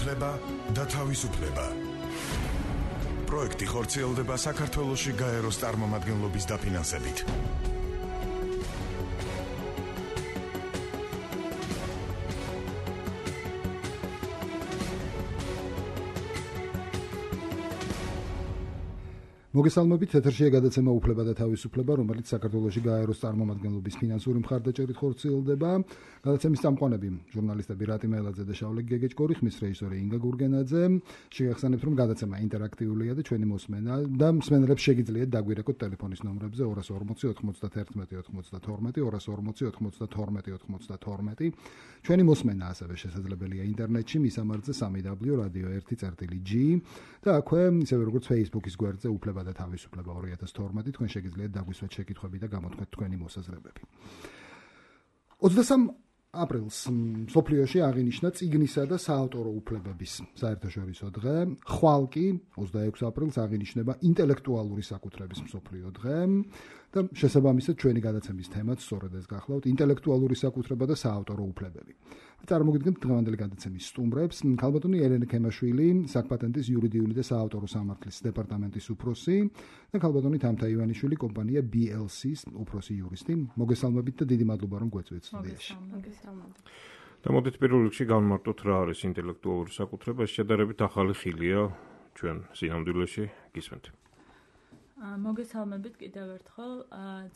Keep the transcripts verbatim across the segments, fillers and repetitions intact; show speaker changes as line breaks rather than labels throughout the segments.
უფლება და თავისუფლება. პროექტი ხორციელდება საქართველოში გაეროს წარმომადგენლობის დაფინანსებით.
მოგესალმებით, ეთერშია გადაცემა უფლება და თავისუფლება, რომელიც საქართველოში გაეროს წარმომადგენლობის ფინანსური მხარდაჭერით ხორციელდება. გადაცემის წამყვანები ჟურნალისტები რატი მეელაძე და შავლე გეგეჭკორი, ხმის რეჟისორი ინგა გურგენაძე. შეგახსენებთ, რომ გადაცემა ინტერაქტიულია და ჩვენი მოსმენა და მსმენელებს შეგიძლიათ დაგვირეკოთ ტელეფონის ნომრებზე ორას ორმოცი ოთხმოცდათერთმეტი ოცდათორმეტი, ორას ორმოცი ოთხმოცდათორმეტი ოცდათორმეტი. ჩვენი მოსმენა ასევე შესაძლებელია ინტერნეტში მისამართზე სამი დაბლიუ რადიო ერთი წერტილი ჯი და აქვე ისევე როგორც Facebook-ის გვერდზე უფლება და თავისუფლება ორი ათას თორმეტი თქვენ შეგიძლიათ დაგვისვათ შეკითხვები და გამოთქვეთ თქვენი მოსაზრებები. ოცდასამ აპრილს მსოფლიოში აღინიშნა წიგნისა და საავტორო უფლებების საერთაშორისო დღე. ხვალ კი ოცდაექვსი აპრილს აღინიშნება ინტელექტუალური საკუთრების მსოფლიო დღე და შესაბამისად ჩვენი გადაცემის თემაც სწორედ ეს გახლავთ ინტელექტუალური საკუთრება და საავტორო უფლებები. წარმოგიდგენთ დღევანდელი გადაცემის სტუმრებს. ქალბატონი ელენე ქემაშვილი, საკპატენტის იურიდიული და საავტორო სამართლის დეპარტამენტის უფროსი და ქალბატონი თამთა ივანიშვილი, კომპანია ბი ელ სის უფროსი იურისტი. მოგესალმებით და დიდი მადლობა რომ გვეწვიეთ სტუდიაში.
და მოდით პირველ რიგში გავმარტოთ რა არის ინტელექტუალური საკუთრება. ეს შედარებით ახალი ხილია ჩვენ სინამდვილეში გისმენთ.
მოგესალმებით კიდევ ერთხელ.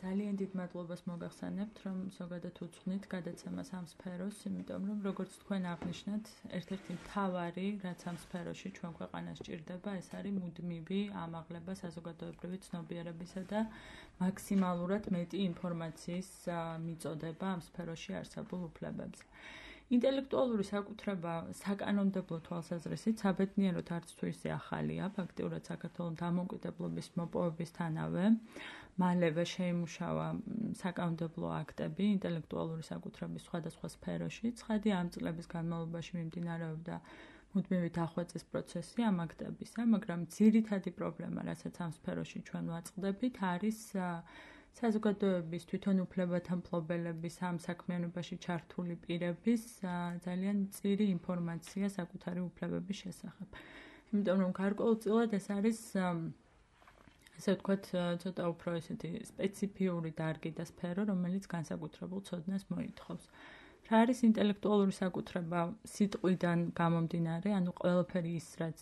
ძალიან დიდ მადლობას მოგახსენებთ, რომ ზოგადად უძღვნით გადაცემას ამ სფეროს, იმიტომ რომ როგორც თქვენ აღნიშნეთ, ერთ-ერთი მთავარი, რაც ამ სფეროში ჩვენ ქვეყანას ჭირდება, ეს არის მუდმივი ამაღლება საზოგადოებრივი ცნობიერებისა და მაქსიმალურად მეტი ინფორმაციის მიწოდება ამ სფეროში არსებულ უფლებებზე. ინტელექტუალური საკუთრება საკანონმდებლო თვალსაზრისით საბედნიეროდ არც თუ ისე ახალია, ფაქტიურად საქართველოს დამოუკიდებლობის მოპოვებისთანავე მალევე შეიმუშავა საკანონმდებლო აქტები ინტელექტუალური საკუთრების სხვადასხვა სფეროში. ცხადია, ამ წლების განმავლობაში მიმდინარეობდა მუდმივი დახვეწის პროცესი ამ აქტებისა, მაგრამ ძირითადი პრობლემა, რასაც ამ სფეროში ჩვენ ვაწყდებით, არის საზოგადოების თვითონ უფლებათა მფლობელების ამ საქმიანობაში ჩართული პირების ძალიან მწირი ინფორმაცია საკუთარი უფლებების შესახებ. იმიტომ რომ გარკვეულწილად ეს არის ასე ვთქვათ, ცოტა უფრო ესეთი სპეციფიური დარგი და სფერო, რომელიც განსაკუთრებულ ცოდნას მოითხოვს. რა არის ინტელექტუალური საკუთრება სიტყვიდან გამომდინარე, ანუ ყველაფერი ის, რაც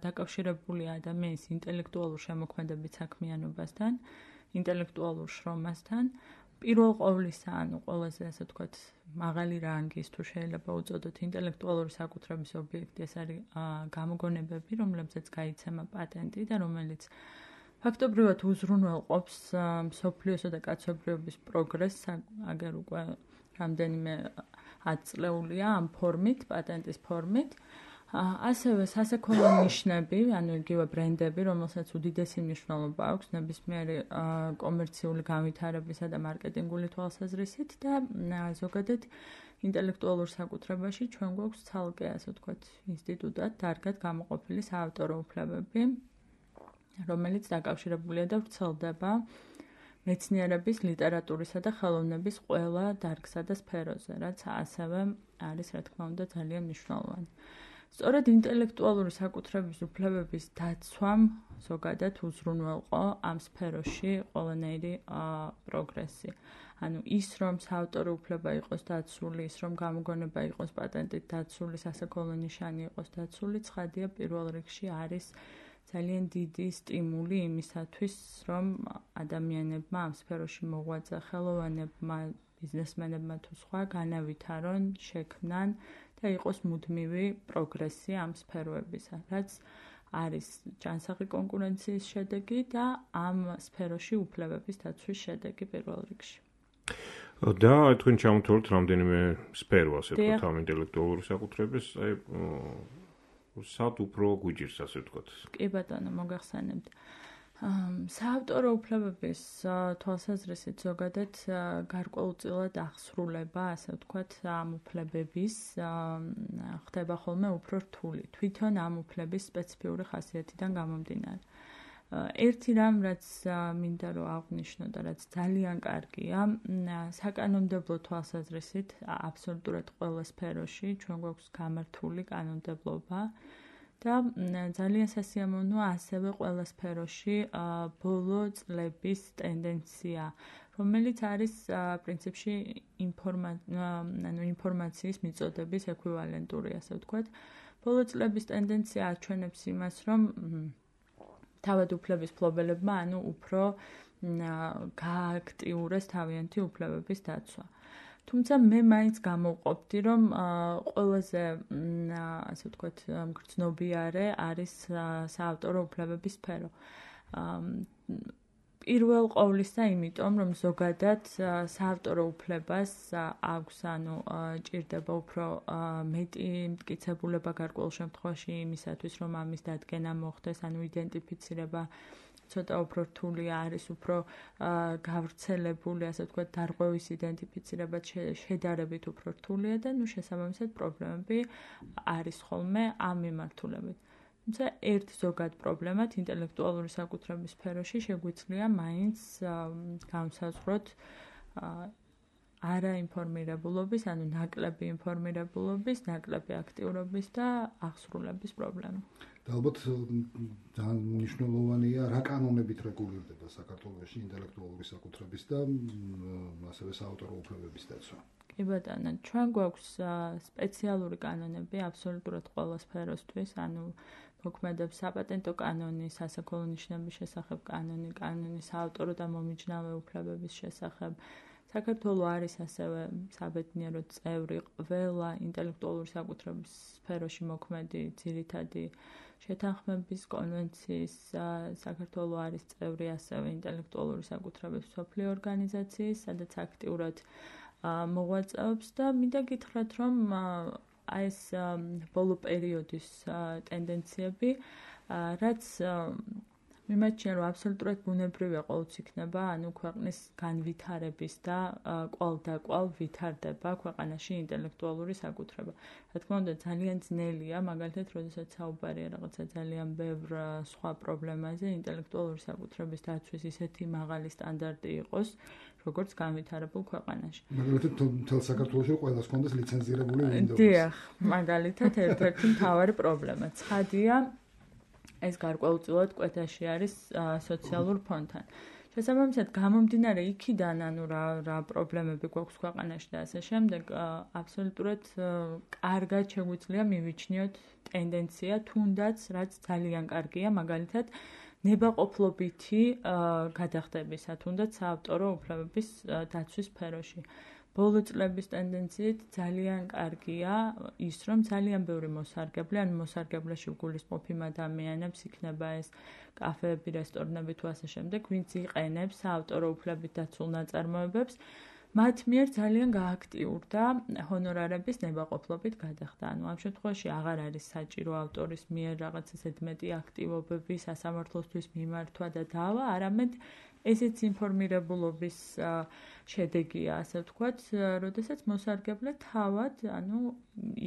დაკავშირებულია ადამიანის ინტელექტუალურ შემოქმედებით საქმიანობასთან, ინტელექტუალურ შრომასთან, პირველ ყოვლისა, ანუ ყველაზე ასე ვთქვათ, მაღალი რანგის თუ შეიძლება უწოდოთ ინტელექტუალური საკუთრების ობიექტი, ეს არის გამოგონებები, რომლებზეც გაიცემა პატენტი და რომელიც ფაქტობრივად უზრუნველყოფს მსოფლიოსა და კაცობრიობის პროგრესს, აგერ უკვე რამდენიმე ათწლეულია ამ ფორმით, პატენტის ფორმით. ასევე სასექოლო ნიშნები, ანუ იგივე ბრენდები, რომელსაც უდიდესი მნიშვნელობა აქვს ნებისმიერი კომერციული განვითარებისა და მარკეტინგული თვალსაზრისით და ზოგადად ინტელექტუალურ საკუთრებაში ჩვენ გვაქვს ცალკე, ასე ვთქვათ, ინსტიტუტად დარგად გამოყოფილი საავტორო უფლებები, რომელიც დაკავშირებულია და ვრცელდება მეცნიერების, ლიტერატურისა და ხელოვნების ყველა დარგსა და სფეროზე, რაც ასევე არის, რა თქმა უნდა, ძალიან მნიშვნელოვანი. სწორედ ინტელექტუალური საკუთრების უფლებების დაცვამ ზოგადად უზრუნველყო ამ სფეროში ყველანაირი პროგრესი. ანუ ის, რომ საავტორო უფლება იყოს დაცული, ის, რომ გამოგონება იყოს პატენტით დაცული, სასექოლო ნიშანი იყოს დაცული, ცხადია პირველ რიგში არის ძალიან დიდი სტიმული იმისათვის, რომ ადამიანებმა ამ სფეროში მოღვაწე ხელოვანებმა, ბიზნესმენებმა თუ სხვა განავითარონ, შექმნან და იყოს მუდმივი პროგრესი ამ სფეროებისა, რაც არის ჯანსაღი კონკურენციის შედეგი და ამ სფეროში უფლებების დაცვის შედეგი პირველ რიგში.
და თქვენ ჩამოთვალეთ რამდენიმე სფერო, ასე ვთქვათ, ამ ინტელექტუალური საკუთრების, აი სად უფრო გვიჭირს, ასე ვთქვათ.
კი ბატონო, მოგახსენებთ. საავტორო უფლებების თვალსაზრისით ზოგადად გარკვეულწილად აღსრულება, ასე ვთქვათ, ამ უფლებების ხდება ხოლმე უფრო რთული, თვითონ ამ უფლების სპეციფიური ხასიათიდან გამომდინარე. ერთი რამ რაც მინდა რომ აღვნიშნო და რაც ძალიან კარგია, საკანონმდებლო თვალსაზრისით აბსოლუტურად ყველა სფეროში ჩვენ გვაქვს გამართული კანონმდებლობა და ძალიან სასიამოვნოა ასევე ყველა სფეროში ბოლო წლების ტენდენცია, რომელიც არის პრინციპში ინფორმაციის მიწოდების ეკვივალენტური, ასე ვთქვათ. ბოლო წლების ტენდენცია აჩვენებს იმას, რომ თავად უფლების მფლობელებმა ანუ უფრო გააქტიურეს თავიანთი უფლებების დაცვა. თუმცა მე მაინც გამოვყოფდი, რომ ყველაზე ასე ვთქვათ მგრძნობიარე არის საავტორო უფლებების სფერო. პირველ ყოვლისა იმიტომ, რომ ზოგადად საავტორო უფლებას აქვს, ანუ ჭირდება უფრო მეტი მტკიცებულება გარკვეულ შემთხვევაში იმისათვის, რომ ამის დადგენა მოხდეს, ანუ იდენტიფიცირება ცოტა უფრო რთულია, არის უფრო გავრცელებული, ასე ვთქვათ, დარღვევის იდენტიფიცირება შედარებით უფრო რთულია და ნუ შესაბამისად პრობლემები არის ხოლმე ამ მიმართულებით. თუმცა ერთ ზოგად პრობლემად ინტელექტუალური საკუთრების სფეროში შეგვიძლია მაინც განსაზღვროთ არაინფორმირებულობის, ანუ ნაკლები ინფორმირებულობის, ნაკლები აქტიურობის და აღსრულების პრობლემა.
და ალბათ ძალიან მნიშვნელოვანია რა კანონებით რეგულირდება საქართველოში ინტელექტუალური საკუთრების და ასევე საავტორო უფლებების დაცვა.
კი ბატონო, ჩვენ გვაქვს სპეციალური კანონები აბსოლუტურად ყველა სფეროსთვის, ანუ მოქმედებს საპატენტო კანონი, სასაქონლო ნიშნების შესახებ კანონი, კანონი საავტორო და მომიჯნავე უფლებების შესახებ. საქართველო არის ასევე საბედნიეროდ წევრი ყველა ინტელექტუალური საკუთრების სფეროში მოქმედი ძირითადი შეთანხმების კონვენციის. საქართველო არის წევრი ასევე ინტელექტუალური საკუთრების მსოფლიო ორგანიზაციის, სადაც აქტიურად მოღვაწეობს და მინდა გითხრათ, რომ აი ეს ბოლო პერიოდის ტენდენციები, რაც მიმაჩნია, რომ აბსოლუტურად ბუნებრივია ყოველთვის იქნება, ანუ ქვეყნის განვითარების და კვალ და კვალ ვითარდება ქვეყანაში ინტელექტუალური საკუთრება. რა თქმა უნდა, ძალიან ძნელია, მაგალითად, როდესაც საუბარია რაღაცა ძალიან ბევრ სხვა პრობლემაზე, ინტელექტუალური საკუთრების დაცვის ისეთი მაღალი სტანდარტი იყოს, როგორც განვითარებულ ქვეყანაში.
მაგალითად, მთელ საქართველოში ყველას ჰქონდეს ლიცენზირებული Windows.
დიახ, მაგალითად, ერთ-ერთი მთავარი პრობლემა. ცხადია, ეს გარკვეულწილად კვეთაში არის სოციალურ ფონთან. შესაბამისად, გამომდინარე იქიდან, ანუ რა რა პრობლემები გვაქვს ქვეყანაში და ასე შემდეგ, აბსოლუტურად კარგად შეგვიძლია მივიჩნიოთ ტენდენცია, თუნდაც რაც ძალიან კარგია, მაგალითად, ნებაყოფლობითი გადახდებისა, თუნდაც საავტორო უფლებების დაცვის სფეროში. ბოლო წლების ტენდენციით ძალიან კარგია ის, რომ ძალიან ბევრი მოსარგებლე, ანუ მოსარგებლეში გულისმყოფი ადამიანებს იქნება ეს კაფეები, რესტორნები თუ ასე შემდეგ, ვინც იყენებს საავტორო უფლებით დაცულ ნაწარმოებებს, მათ მიერ ძალიან გააქტიურდა ჰონორარების ნებაყოფლობით გადახდა. ანუ ამ შემთხვევაში აღარ არის საჭირო ავტორის მიერ რაღაცა ზედმეტი აქტივობები სასამართლოსთვის მიმართვა და დავა, არამედ ესეც ინფორმირებულობის შედეგია, ასე ვთქვათ, როდესაც მოსარგებლე თავად, ანუ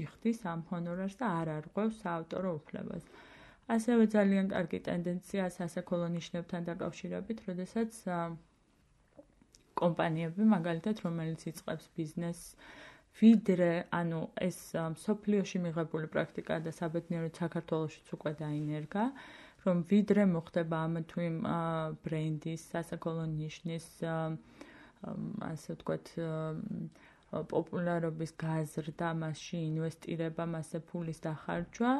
იხდის ამ ჰონორარს და არ არღვევს საავტორო უფლებას. ასევე ძალიან კარგი ტენდენცია სასაქონლო ნიშნებთან დაკავშირებით, როდესაც კომპანიები, მაგალითად, რომელიც იწყებს ბიზნესს, ვიდრე, ანუ ეს მსოფლიოში მიღებული პრაქტიკაა და საბედნიეროდ საქართველოშიც უკვე დაინერგა, რომ ვიდრე მოხდება ამ თუ იმ ბრენდის, სასაქონლო ნიშნის, ასე ვთქვათ, პოპულარობის გაზრდა, მასში ინვესტირება, მასზე ფულის დახარჯვა,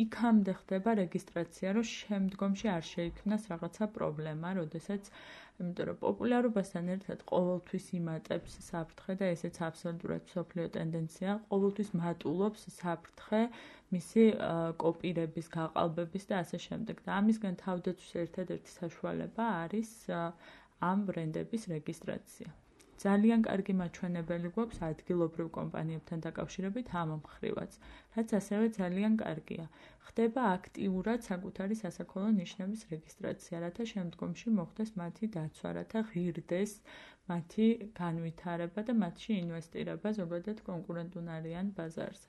იქამდე ხდება რეგისტრაცია, რომ შემდგომში არ შეიქმნას რაღაცა პრობლემა, როდესაც, იმიტომ რომ პოპულარობასთან ერთად ყოველთვის იმატებს საფრთხე და ესეც აბსოლუტურად მსოფლიო ტენდენცია, ყოველთვის მატულობს საფრთხე მისი კოპირების, გაყალბების და ასე შემდეგ. და ამისგან თავდაცვის ერთადერთი საშუალება არის ამ ბრენდების რეგისტრაცია. ძალიან კარგი მაჩვენებელი გვაქვს ადგილობრივ კომპანიებთან დაკავშირებით ამ მხრივაც, რაც ასევე ძალიან კარგია. ხდება აქტიურად საკუთარი სასაქონლო ნიშნების რეგისტრაცია, რათა შემდგომში მოხდეს მათი დაცვა, რათა ღირდეს მათი განვითარება და მათში ინვესტირება ზოგადად კონკურენტუნარიან ბაზარზე.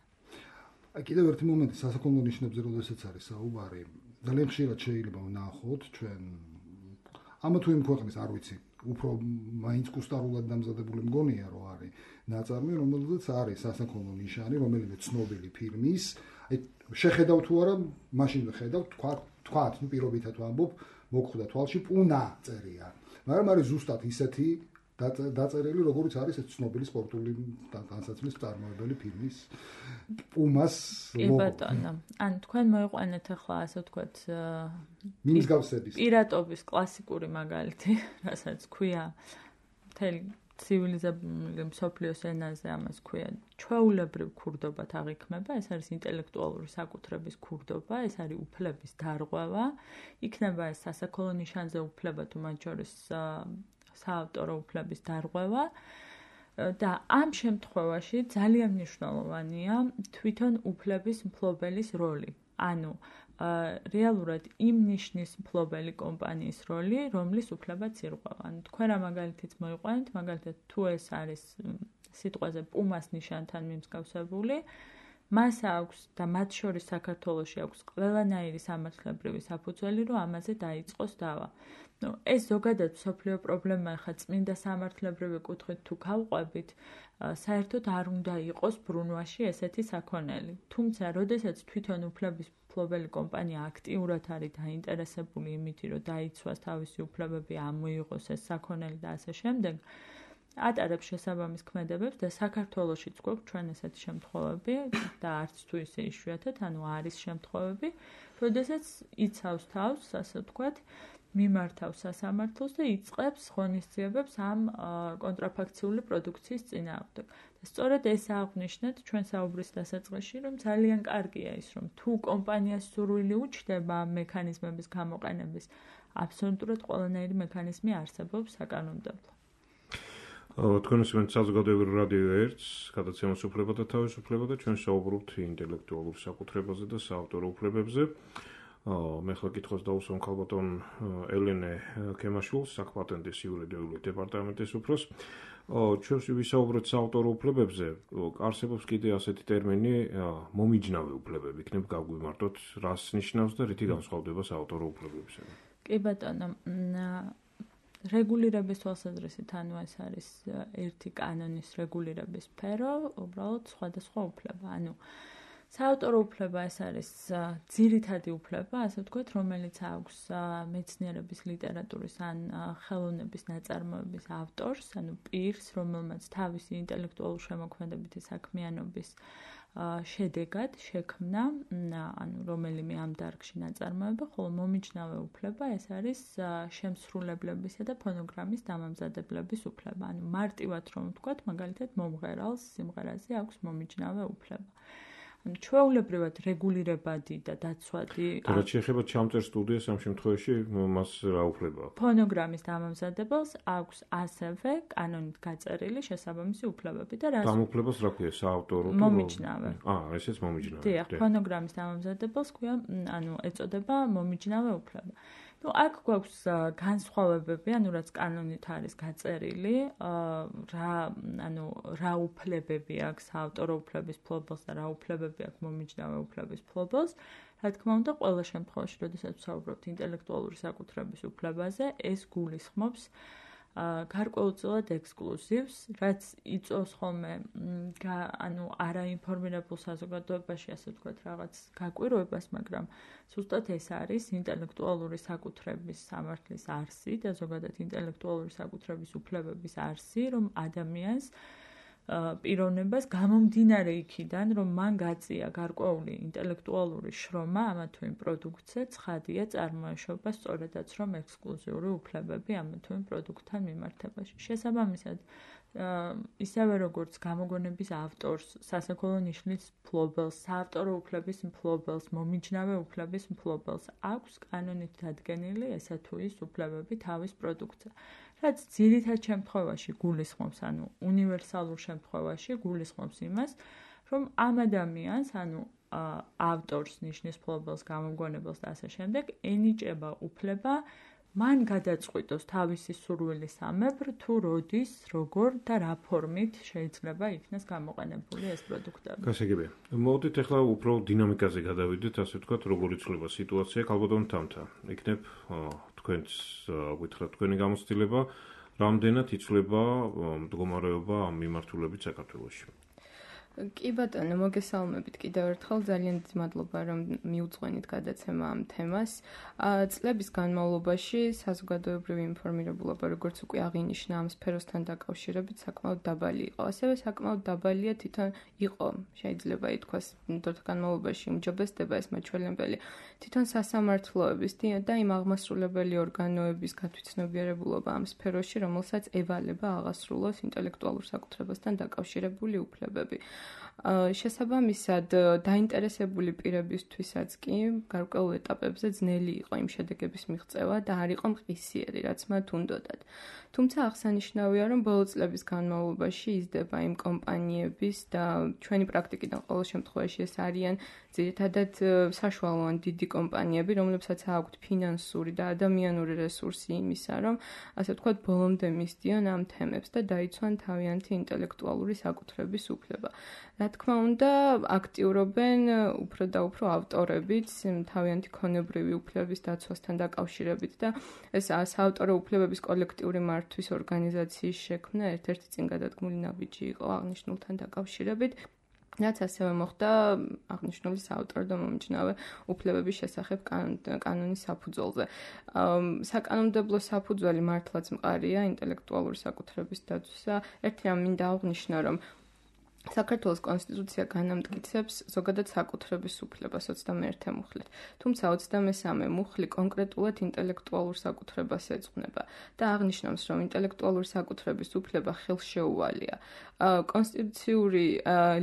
აი კიდევ ერთი მომენტი სასაქონლო ნიშნებზე, როდესაც არის საუბარი, ძალიან ხშირად შეიძლება ვნახოთ ჩვენ ამა თუ იმ ქვეყნის არ ვიცი უფრო მაინც კუსტარულად დამზადებული მგონია რომ არის ნაწარმი რომელზეც არის სასაქონლო ნიშანი რომელიმე ცნობილი ფირმის აი შეხედავ თუ არა მაშინ ვხედავ თქვა თქვა ნუ პირობითად ვამბობ მოგხვდა თვალში პუნა წერია მაგრამ არის ზუსტად ისეთი დაწერილი როგორც არის ეს ცნობილი სპორტული განსაცმლის წარმოებელი ფირმის პუმას ლოგო.
ბატონო, ან თქვენ მოიყვანეთ ახლა ასე ვთქვათ
მინსგავსების
პირატობის კლასიკური მაგალითი, რასაც ქვია მთელი ცივილიზებული მსოფლიოს ენაზე ამას ქვია ჩვეულებრივ ქურდობად აღიქმება, ეს არის ინტელექტუალური საკუთრების ქურდობა, ეს არის უფლების დარღვევა, იქნება ეს სასაქონლო ნიშანზე უფლება თუ მათ შორის საავტორო უფლების დარღვევა და ამ შემთხვევაში ძალიან მნიშვნელოვანია თვითონ უფლების მფლობელის როლი. ანუ რეალურად იმ ნიშნის მფლობელი კომპანიის როლი, რომლის უფლებაც ირღვევა. ანუ თქვენ რა მაგალითიც მოიყვანეთ, მაგალითად თუ ეს არის სიტყვაზე პუმას ნიშანთან მიმსგავსებული, მას აქვს და მათ შორის საქართველოში აქვს ყველანაირი სამართლებრივი საფუძველი, რომ ამაზე დაიწყოს დავა. Ну, ეს ზოგადად მსოფლიო პრობლემა ხა წმინდა სამართლებრივი კუთხით თუ გავყვებით, საერთოდ არ უნდა იყოს ბრუნვაში ესეთი საქონელი. თუმცა, როდესაც თვითონ უფლების მფლობელი კომპანია აქტიურად არის დაინტერესებული იმით, რომ დაიცვას თავისი უფლებები, ამოიღოს ეს საქონელი და ასე შემდეგ, ატარებს შესაბამის ქმედებებს და საქართველოშიც გვაქვს ჩვენ ესეთი შემთხვევები და არც თუ ისე იშვიათად, ანუ არის შემთხვევები, როდესაც იცავს თავს, ასე ვთქვათ, მიმართავს სასამართლოს და იწყებს ღონისძიებებს ამ კონტრაფაქციული პროდუქციის წინააღმდეგ. და სწორედ ეს აღნიშნეთ ჩვენ საუბრის დასაწყისში, რომ ძალიან კარგია ის, რომ თუ კომპანიას სურვილი უჩნდება მექანიზმების გამოყენების, აბსოლუტურად ყველანაირი მექანიზმი არსებობს საკანონმდებლო.
თქვენ ისმენთ საზოგადოებრივ რადიო ერთს, გადაცემას უფლება და თავისუფლება და ჩვენ საუბრობთ ინტელექტუალურ საკუთრებაზე და საავტორო უფლებებზე. მე ხლა კითხოს დაუსვამ ქალბატონ ელენე კემაშვილს, საკპატენტის იურიდიული დეპარტამენტის უფროს. ჩვენს ვისაუბრეთ საავტორო უფლებებზე, არსებობს კიდე ასეთი ტერმინი მომიჯნავე უფლებები, იქნებ გაგვიმართოთ, რას ნიშნავს და რითი განსხვავდება საავტორო უფლებებისგან.
კი ბატონო, რეგულირების თვალსაზრისით, ანუ ეს არის ერთი კანონის რეგულირების სფერო, უბრალოდ სხვადასხვა უფლება. ანუ საავტორო უფლება ეს არის ძირითადი უფლება, ასე ვთქვათ, რომელიც აქვს მეცნიერების, ლიტერატურის ან ხელოვნების ნაწარმოების ავტორს, ანუ პირს, რომელმაც თავისი ინტელექტუალური შემოქმედებითი საქმიანობის შედეგად შექმნა, ანუ რომელიმე ამ დარგში ნაწარმოება, ხოლო მომიჯნავე უფლება ეს არის შემსრულებლებისა და ფონოგრამის დამამზადებლების უფლება. ანუ მარტივად რომ ვთქვათ, მაგალითად მომღერალს სიმღერაზე აქვს მომიჯნავე უფლება. ანუ ჩვეულებრივად რეგულირებადი და დაცვადი.
რაც შეეხება ჩამწერ სტუდიას ამ შემთხვევაში მას რა უფლება აქვს?
ფონოგრამის დამამზადებელს აქვს ასევე კანონით გაწერილი შესაბამისი უფლებები და რა
ამ უფლებას რა ქვია საავტორო თუ
მომიჯნავე.
აა, ესეც მომიჯნავე.
დიახ, ფონოგრამის დამამზადებელს ქვია, ანუ ეწოდება მომიჯნავე უფლება. ну აქ გვაქვს განსხვავებები, ანუ რაც კანონით არის გაწერილი, რა ანუ რა უფლებები აქვს საავტორო უფლების მფლობელს და რა უფლებები აქვს მომიჯნავე უფლების მფლობელს. რა თქმა უნდა, ყველა შემთხვევაში, როდესაც ვსაუბრობთ ინტელექტუალური საკუთრების უფლებაზე, ეს გულისხმობს გარკვეულწილად ექსკლუზივს, რაც იწვევს ხოლმე ანუ არაინფორმირებულ საზოგადოებაში, ასე ვთქვათ, რაღაც გაკვირვებას, მაგრამ ზუსტად ეს არის ინტელექტუალური საკუთრების სამართლის არსი და ზოგადად ინტელექტუალური საკუთრების უფლებების არსი, რომ ადამიანს პიროვნებას გამომდინარე იქიდან, რომ მან გაწია გარკვეული ინტელექტუალური შრომა ამა თუ იმ პროდუქცია, ცხადია წარმოეშობა სწორედაც რომ ექსკლუზიური უფლებები ამა თუ იმ პროდუქტთან მიმართებაში. შესაბამისად, ისევე როგორც გამოგონების ავტორს, სასაქონლო ნიშნის მფლობელს, საავტორო უფლების მფლობელს, მომიჯნავე უფლების მფლობელს აქვს კანონით დადგენილი ესა თუ ის უფლებები თავის პროდუქტზე. რაც ძირითად შემთხვევაში გულისხმობს, ანუ უნივერსალურ შემთხვევაში გულისხმობს იმას, რომ ამ ადამიანს, ანუ ავტორს, ნიშნის მფლობელს, გამომგონებელს და ასე შემდეგ, ენიჭება უფლება მან გადაწყვიტოს თავისი სურვილის ამებრ თუ როდის, როგორ და რა ფორმით შეიძლება იქნეს გამოყენებული ეს პროდუქტები.
გასაგებია. მოდით ახლა უფრო დინამიკაზე გადავიდეთ, ასე ვთქვათ, როგორ იცვლება სიტუაცია ქალბატონ თამთა. იქნებ თქვენც გითხრათ თქვენი გამოცდილება, რამდენად იცვლება მდგომარეობა ამ მიმართულებით საქართველოში.
კი ბატონო, მოგესალმებით კიდევ ერთხელ, ძალიან დიდი მადლობა რომ მიუძღვენით გადაცემა ამ თემას. წლების განმავლობაში საზოგადოებრივი ინფორმირებულობა, როგორც უკვე აღინიშნა, ამ სფეროსთან დაკავშირებით საკმაოდ დაბალი იყო. ასევე საკმაოდ დაბალია თვითონ იყო, შეიძლება ითქვას, დროთა განმავლობაში უმჯობესდება ეს მაჩვენებელი თვითონ სასამართლოების და იმ აღმასრულებელი ორგანოების გათვითცნობიერებულობა ამ სფეროში, რომელსაც ევალება აღასრულოს ინტელექტუალურ საკუთრებასთან დაკავშირებული უფლებები. შესაბამისად, დაინტერესებული პირებისთვისაც კი გარკვეულ ეტაპებზე ძნელი იყო იმ შედეგების მიღწევა და არ იყო მყისიერი, რაც მათ უნდოდათ. თუმცა აღსანიშნავია, რომ ბოლო წლების განმავლობაში იზრდება იმ კომპანიების და ჩვენი პრაქტიკიდან ყოველ შემთხვევაში ეს არიან ძირითადად საშუალო ან დიდი კომპანიები, რომლებსაც აქვთ ფინანსური და ადამიანური რესურსი იმისა, რომ ასე ვთქვათ, ბოლომდე მისდიან ამ თემებს და დაიცვან თავიანთი ინტელექტუალური საკუთრების უფლება. რა თქმა უნდა, აქტიურობენ უფრო და უფრო ავტორებიც თავიანთი ქონებრივი უფლების დაცვასთან დაკავშირებით და ეს საავტორო უფლებების კოლექტიური მართვის ორგანიზაციის შექმნა ერთ-ერთი წინგადადგმული ნაბიჯი იყო აღნიშნულთან დაკავშირებით. რაც ასევე მოხდა აღნიშნული საავტორო და მომიჯნავე უფლებების შესახებ კანონის საფუძველზე. საკანონმდებლო საფუძველი მართლაც მყარია ინტელექტუალური საკუთრების დაცვისა. ერთი რამ მინდა აღვნიშნო, რომ საქართველოს კონსტიტუცია განამტკიცებს ზოგადად საკუთრების უფლებას ოცდამეერთე მუხლით. თუმცა ოცდამესამე მუხლი კონკრეტულად ინტელექტუალურ საკუთრებას ეძღვნება და აღნიშნავს, რომ ინტელექტუალური საკუთრების უფლება ხელშეუვალია. კონსტიტუციური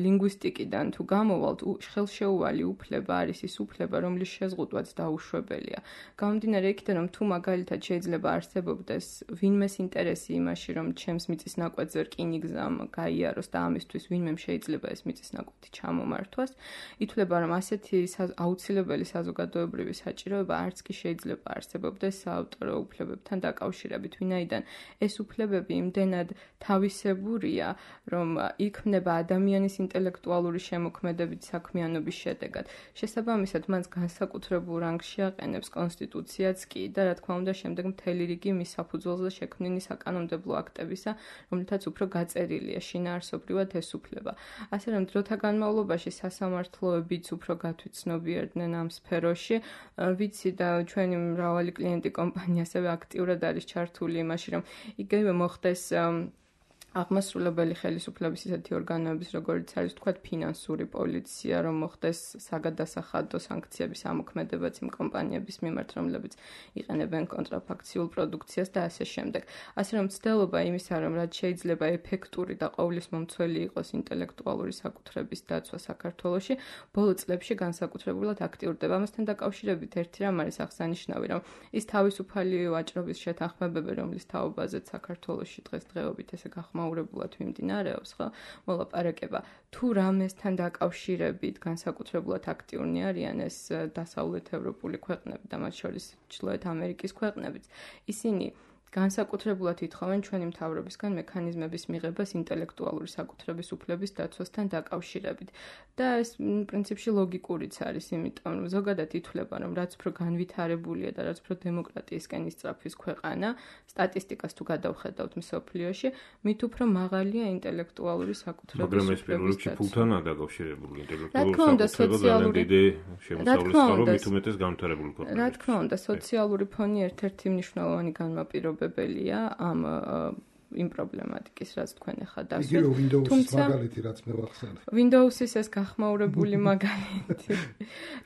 ლინგვისტიკიდან თუ გამოვალთ, ხელშეუვალი უფლება არის ის უფლება, რომლის შეზღუდვაც დაუშვებელია. გამომდინარე იქიდან, რომ თუ მაგალითად შეიძლება არსებობდეს ვინმეს ინტერესი იმაში, რომ ჩემს მიწის ნაკვეთზე რკინი გზამ გაიაროს და ამისთვის ვინმე შეიძლება ეს მიწის ნაკვეთი ჩამომართვას, ითვლება, რომ ასეთი აუცილებელი საზოგადოებრივი საჭიროება არც კი შეიძლება არსებობდეს საავტორო უფლებებთან დაკავშირებით, ვინაიდან ეს უფლებები იმდენად თავისებურია, რომ იქმნება ადამიანის ინტელექტუალური შემოქმედებით საქმიანობის შედეგად. შესაბამისად, მას განსაკუთრებულ რანგს შეაყენებს კონსტიტუციაც კი და რა თქმა უნდა, შემდეგ მთელი რიგი მის საფუძველზე შექმნილი საკანონმდებლო აქტებისა, რომლითაც უფრო გაწერილია შინაარსობრივად ეს უფლება. ასე რომ დროთა განმავლობაში სასამართლოებიც უფრო გათვითცნობიერდნენ ამ სფეროში. ვიცი და ჩვენი მრავალი კლიენტი კომპანია ასევე აქტიურად არის ჩართული იმაში, რომ იგივე მოხდეს აღმასრულებელი ხელისუფლების ისეთი ორგანოების, როგორც არის ვთქვათ ფინანსური პოლიცია, რომ მოხდეს საგადასახადო სანქციების ამოქმედებაც იმ კომპანიების მიმართ, რომლებიც იყენებენ კონტრაფაქციულ პროდუქციას და ასე შემდეგ. ასე რომ მცდელობა იმისა, რომ რაც შეიძლება ეფექტური და ყოვლის მომცველი იყოს ინტელექტუალური საკუთრების დაცვა საქართველოში, ბოლო წლებში განსაკუთრებულად აქტიურდება. ამასთან დაკავშირებით ერთი რამ არის აღსანიშნავი, რომ ის თავისუფალი ვაჭრობის შეთანხმებები, რომლის თაობაზეც საქართველოში დღესდღეობით ესე გახმაურებულად მიმდინარეობს, ხო? მოლაპარაკება თუ რამესთან დაკავშირებით განსაკუთრებულად აქტიურნი არიან ეს დასავლეთ ევროპული ქვეყნები და მათ შორის ჩრდილოეთ ამერიკის ქვეყნებიც. ისინი განსაკუთრებულად ითხოვენ ჩვენი მთავრობისგან მექანიზმების მიღებას ინტელექტუალური საკუთრების უფლების დაცვასთან დაკავშირებით. და ეს პრინციპში ლოგიკურიც არის, იმიტომ რომ ზოგადად ითვლება, რომ რაც უფრო განვითარებულია და რაც უფრო დემოკრატიისკენ ისწრაფვის ქვეყანა, სტატისტიკას თუ გადავხედავთ მსოფლიოში, მით უფრო მაღალია ინტელექტუალური საკუთრების უფლების
მაგრამ ეს პირველ რიგში ფულთანაა დაკავშირებული
ინტელექტუალური საკუთრება
დიდი შემოსავლის წყარო მით უმეტეს განვითარებული ქვეყნებში.
რა თქმა უნდა, სოციალური ფონი ერთ-ერთი მნიშვნელოვანი განმაპირობებელია ამ იმ პრობლემატიკის, რაც თქვენ ახლა დასვით.
იგივე Windows-ის მაგალითი, რაც მე ვახსენე.
Windows-ის ეს გახმაურებული მაგალითი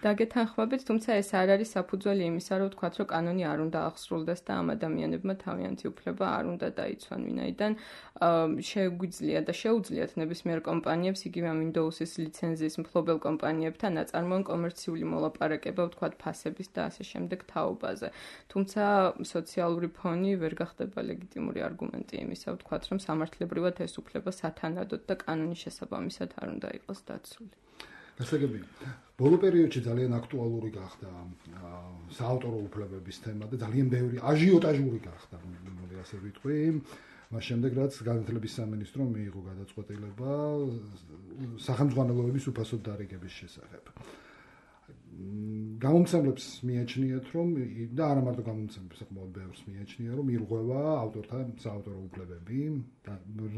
დაგეთანხმებით, თუმცა ეს არ არის საფუძველი იმისა, რომ ვთქვათ, რომ კანონი არ უნდა აღსრულდეს და ამ ადამიანებმა თავიანთი უფლება არ უნდა დაიცვან, ვინაიდან შეგვიძლია და შეუძლიათ ნებისმიერ კომპანიებს იგივე Windows-ის ლიცენზიის მფლობელ კომპანიებთან აწარმოონ კომერციული მოლაპარაკება, ვთქვათ, ფასების და ასე შემდეგ თაობაზე. თუმცა სოციალური ფონი ვერ გახდება ლეგიტიმური არგუმენტი იმისა, ვთქვათ, რომ სამართლებრივად ეს უფლება სათანადოდ და კანონის შესაბამისად არ უნდა იყოს დაცული.
ასე გები. ბოლო პერიოდში ძალიან აქტუალური გახდა საავტორო უფლებების თემა და ძალიან ბევრი აჟიოტაჟური გახდა, მე ასე ვიტყვი. მას შემდეგ რაც განათლების სამინისტრომ მიიღო გადაწყვეტილება სახელმძღვანელოების უფასოდ დარიგების შესახებ. გამომცემლებს მიაჩნიათ, რომ და არა მარტო გამომცემლებს, საკმაოდ ბევრს მიაჩნია, რომ ირღვევა ავტორთა საავტორო უფლებები და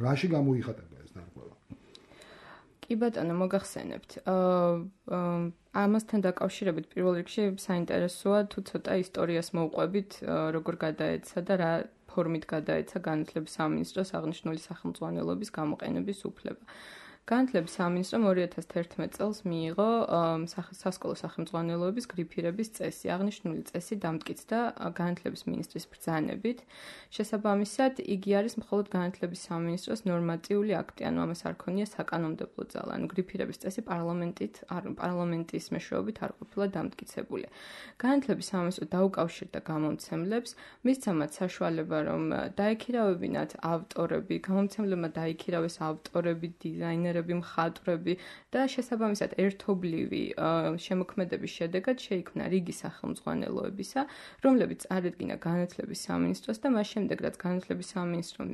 რაში გამოიხატება ეს დარღვევა.
კი ბატონო, მოგახსენებთ. ამასთან დაკავშირებით პირველ რიგში საინტერესოა თუ ცოტა ისტორიას მოვყვებით, როგორ გადაეცა და რა ფორმით გადაეცა განათლების სამინისტროს აღნიშნული სახელმძღვანელოების გამოყენების უფლება. განათლების სამინისტრომ ორი ათას თერთმეტ წელს მიიღო სასკოლო სახელმძღვანელოების გრიფირების წესი. აღნიშნული წესი დამტკიცდა განათლების მინისტრის ბრძანებით. შესაბამისად, იგი არის მხოლოდ განათლების სამინისტროს ნორმატიული აქტი, ანუ ამას არ ქონია საკანონმდებლო ძალა. ანუ გრიფირების წესი პარლამენტით, პარლამენტის მეშვეობით არ ყოფილა დამტკიცებული. განათლების სამინისტრო დაუკავშირდა გამომცემლებს, მისცა მათ საშუალება, რომ დაექირავებინათ ავტორები, გამომცემლებმა დაიქირავეს ავტორები, დიზაინერები, მხატვრები და შესაბამისად ერთობლივი შემოქმედების შედეგად შეიქმნა რიგი სახელმძღვანელოებისა, რომლებიც წარედგინა განათლების სამინისტროს და მას შემდეგ, რაც განათლების სამინისტრომ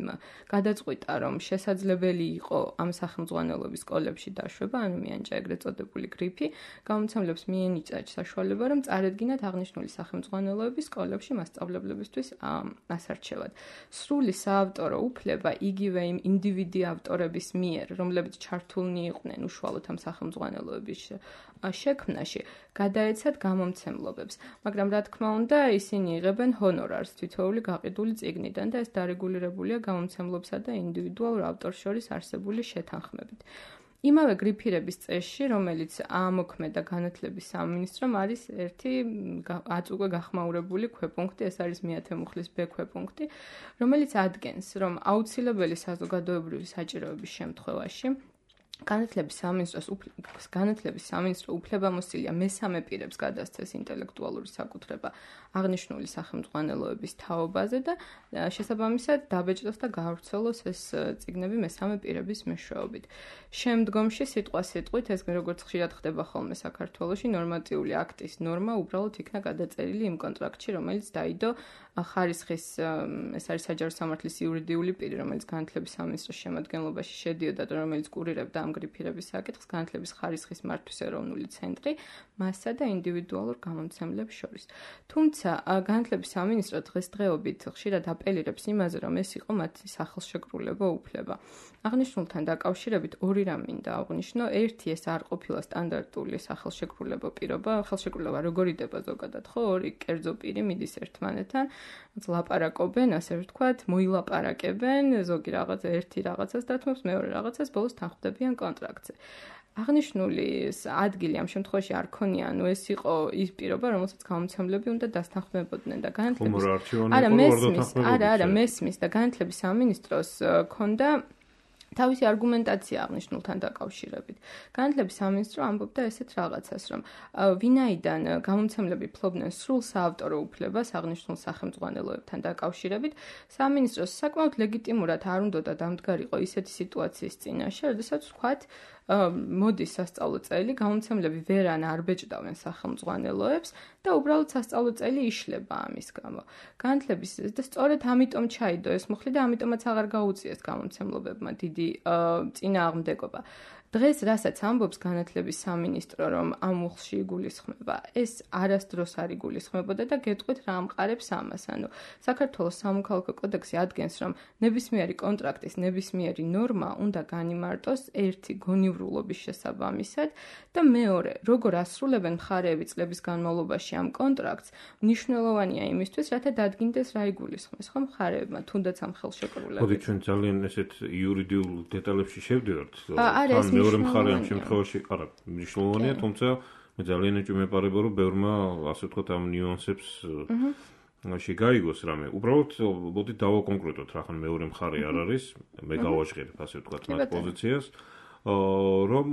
გადაწყვიტა, რომ შესაძლებელი იყო ამ სახელმძღვანელოების სკოლებში დაშვება, ანუ მიანიჭა ეგრეთ წოდებული გრიფი, გამომცემლებს მიენიჭა საშუალება, რომ წარედგინათ აღნიშნული სახელმძღვანელოების სკოლებში მასწავლებლებისთვის ასარჩევად. სრული საავტორო უფლება იგივე იმ ინდივიდი ავტორების მიერ, რომლებიც ჩართულნი იყვნენ უშუალოდ ამ სახელმძღვანელოების შექმნაში, გადაეცათ გამომცემლობებს. მაგრამ რა თქმა უნდა, ისინი იღებენ ჰონორარს თითოეული გაყიდული წიგნიდან და ეს დარეგულირებულია გამომცემლობსა და ინდივიდუალურ ავტორს შორის არსებული შეთანხმებით. იმავე გრიფირების წესში, რომელიც ამოქმედა განათლების სამინისტრომ, არის ერთი აც უკვე გახმაურებული ქვეპუნქტი, ეს არის მეათე მუხლის ბ ქვეპუნქტი, რომელიც ადგენს, რომ აუცილებელი საზოგადოებრივი საჭიროების შემთხვევაში განათლების სამინისტროს განათლების სამინისტრო უფლებამოსილია მესამე პირებს გადასცეს ინტელექტუალური საკუთრება აღნიშნული სახელმძღვანელოების თაობაზე და შესაბამისად დაბეჭდოს და გაავრცელოს ეს წიგნები მესამე პირების მეშვეობით. შემდგომში სიტყვა სიტყვით ეს როგორც ხშირად ხდება ხოლმე საქართველოში ნორმატიული აქტის ნორმა უბრალოდ იქნა გადაწერილი იმ კონტრაქტში, რომელიც დაიდო ხარისხის ეს არის საჯარო სამართლის იურიდიული პირი, რომელიც განათლების სამინისტროს შემადგენლობაში შედიოდა და რომელიც კურირებდა ამ გრიფირების საკითხს განათლების ხარისხის მართვის ეროვნული ცენტრი მასსა და ინდივიდუალურ გამომცემლებს შორის. თუმცა განათლების სამინისტრო დღესდღეობით ხშირად აპელირებს იმაზე, რომ ეს იყო მათი სახელშეკრულებო უფლება. აღნიშნულთან დაკავშირებით ორი რამ მინდა აღვნიშნო. ერთი, ეს არ ყოფილა სტანდარტული სახელშეკრულებო პირობა, ხელშეკრულება როგორ იდება ზოგადად, ხო, ორი კერძო პირი მიდის ერთმანეთთან, ლაპარაკობენ, ასე ვთქვათ, მოილაპარაკებენ, ზოგი რაღაცა ერთი რაღაცას დათმობს, მეორე რაღაცას ბოლოს თანხმდებიან კონტრაქტზე. აღნიშნული ადგილი ამ შემთხვევაში არ ქონია, ანუ ეს იყო ის პირობა, რომელსაც გამომცემლები უნდა დასთანხმებოდნენ და განათლების არა მესმის, არა, არა, მესმის და განათლების სამინისტროს ქონდა თავისი არგუმენტაცია აღნიშნულთან დაკავშირებით. განათლების სამინისტრო ამბობდა ესეთ რაღაცას, რომ ვინაიდან გამომცემლები ფლობდნენ სრულ საავტორო უფლებას აღნიშნულ სახელმძღვანელოებთან დაკავშირებით, სამინისტროს საკმაოდ ლეგიტიმურად არ უნდოდა დამდგარიყო ისეთი სიტუაციის წინაშე, როდესაც ვთქვათ, მოდის სასწავლო წელი, გამომცემლები ვერან არ ბეჭდავენ სახელმძღვანელოებს და უბრალოდ სასწავლო წელი იშლება ამის გამო. განათლების და სწორედ ამიტომ ჩაიდო ეს მუხლი და ამიტომაც აღარ გაუწიეს გამომცემლობებმა დიდი წინააღმდეგობა. დღეს რასაც ამბობს განათლების სამინისტრო, რომ ამ მუხლში იგულისხმება, ეს არასდროს არ იგულისხმებოდა და გეტყვით რა ამყარებს ამას. ანუ საქართველოს სამოქალაქო კოდექსი ადგენს, რომ ნებისმიერი კონტრაქტის ნებისმიერი ნორმა უნდა განიმარტოს ერთი გონივრულობის შესაბამისად და მეორე, როგორ ასრულებენ მხარეები წლების განმავლობაში ამ კონტრაქტს, მნიშვნელოვანია იმისთვის, რათა დადგინდეს რა იგულისხმეს, ხო მხარეებმა, თუნდაც ამ ხელშეკრულებით.
მოდი ჩვენ ძალიან ესეთ იურიდიულ დეტალებში შევდივართ.
არა, ეს
მეორე მხარე ამ შემთხვევაში არა მნიშვნელოვანია, თუმცა მე ძალიან ეჭვმეპარება, რომ ბევრმა ასე ვთქვათ ამ ნიუანსებს ში გაიგოს რამე. უბრალოდ მოდი დავაკონკრეტოთ, რა ხან მეორე მხარე არ არის, მე გავაჟღერებ ასე ვთქვათ მათ პოზიციას, რომ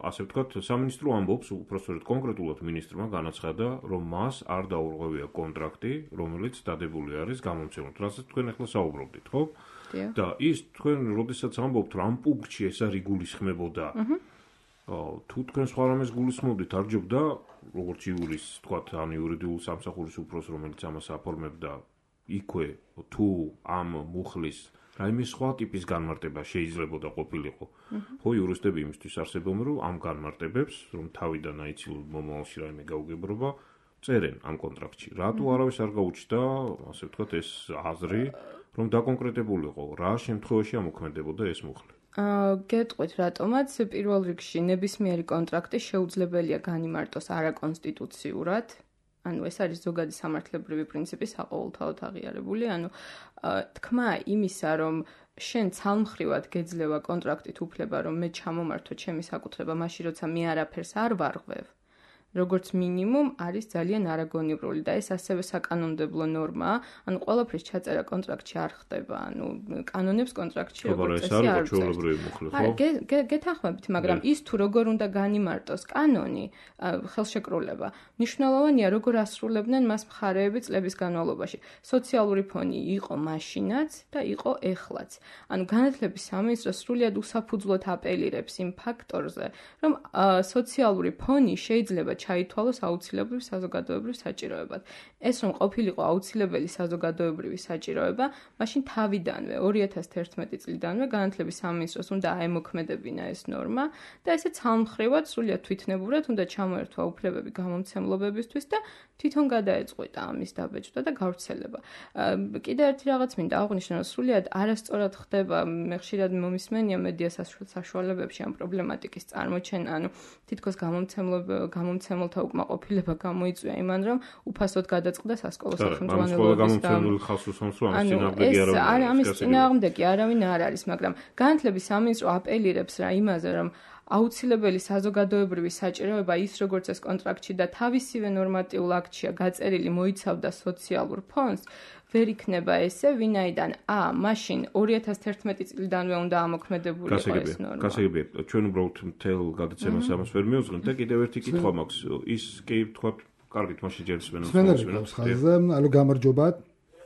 ასე ვთქვათ სამინისტრო ამბობს, უბრალოდ კონკრეტულად მინისტრმა განაცხადა, რომ მას არ დაურღვევია კონტრაქტი, რომელიც დადებული არის გამომცემლად. რასაც თქვენ ახლა საუბრობდით, ხო? და ის თქვენ როდესაც ამბობთ, რომ ამ პუნქტში ეს არ იგულისხმებოდა თუ თქვენ სხვა რამეს გულისხმობდით, არ ჯობდა როგორც იურის, თქვათ, ან იურიდიულ სამსახურის უფროს, რომელიც ამას აფორმებდა, იქვე თუ ამ მუხლის რაიმე სხვა ტიპის განმარტება შეიძლებოდა ყოფილიყო. ხო, იურისტები იმისთვის არსებობენ, რომ ამ განმარტებებს, რომ თავიდან აიცილ მომავალში რაიმე გაუგებრობა, წერენ ამ კონტრაქტში. რატო არავის არ გაუჩნდა, ასე ვთქვათ, ეს აზრი, რომ დაკონკრეტებულიყო, რა შემთხვევაში ამოქმედებოდა ეს მუხლი?
აა გეტყვით რატომაც პირველ რიგში ნებისმიერი კონტრაქტი შეუძლებელია განიმარტოს არაკონსტიტუციურად. ანუ ეს არის ზოგადი სამართლებრივი პრინციპი საყოველთაოდ აღიარებული, ანუ თქმა იმისა, რომ შენ ცალმხრივად გეძლევა კონტრაქტით უფლება, რომ მე ჩამომართო ჩემი საკუთრება მაშინ, როცა მე არაფერს არ ვარღვევ. როგორც მინიმუმ არის ძალიან არაგონივრული და ეს ასევე საკანონმდებლო ნორმაა, ანუ ყველაფრის ჩაწერა კონტრაქტში არ ხდება, ანუ კანონებს კონტრაქტში როგორც წესი არ წერს. გეთანხმებით, მაგრამ ის თუ როგორ უნდა განიმარტოს კანონი, ხელშეკრულება, მნიშვნელოვანია როგორ ასრულებდნენ მას მხარეები წლების განმავლობაში. სოციალური ფონი იყო მაშინაც და იყო ეხლაც. ანუ განათლების სამინისტრო სრულიად უსაფუძვლოდ აპელირებს იმ ფაქტორზე, რომ სოციალური ფონი შეიძლება ჩაითვალოს აუცილებლივ საზოგადოებრივ საჭიროებად. ეს რომ ყოფილიყო აუცილებელი საზოგადოებრივი საჭიროება, მაშინ თავიდანვე ორი ათას თერთმეტი წლიდანვე განათლების სამინისტროს უნდა აემოქმედებინა ეს ნორმა და ესე ცალმხრივად სრულიად თვითნებურად უნდა ჩამოერთვა უფლებები გამომცემლობებისთვის და თვითონ გადაეწყვიტა ამის დაბეჭდა და გავრცელება. კიდევ ერთი რაღაც მინდა აღვნიშნო, რომ სრულიად არასწორად ხდება, მე ხშირად მომისმენია მედია საშუალებებში ამ პრობლემატიკის წარმოჩენა, ანუ თითქოს გამომცემლობა გამომცემელთა უკმაყოფილება გამოიწვია იმან, რომ უფასოდ გადაწყდა სასკოლო სახელმძღვანელოების და ამის წინააღმდეგი არავინ არ არის, მაგრამ განათლების სამინისტრო აპელირებს რა იმაზე, რომ აუცილებელი საზოგადოებრივი საჭიროება ის როგორც ეს კონტრაქტში და თავისივე ნორმატიულ აქტშია გაწერილი მოიცავდა სოციალურ ფონდს, ვერ იქნება ესე, ვინაიდან ა, მაშინ ორი ათას თერთმეტი წლიდანვე უნდა ამოქმედებულიყო ეს ნორმა.
გასაგებია, ჩვენ უბრალოდ მთელ გადაცემას ამას ვერ მივუძღვნით და კიდევ ერთი კითხვა მაქვს. ის კი თქვათ, კარგით, მაშინ ჯერ ისმენოს.
სვენერგავს ხაზზე, ალო გამარჯობათ.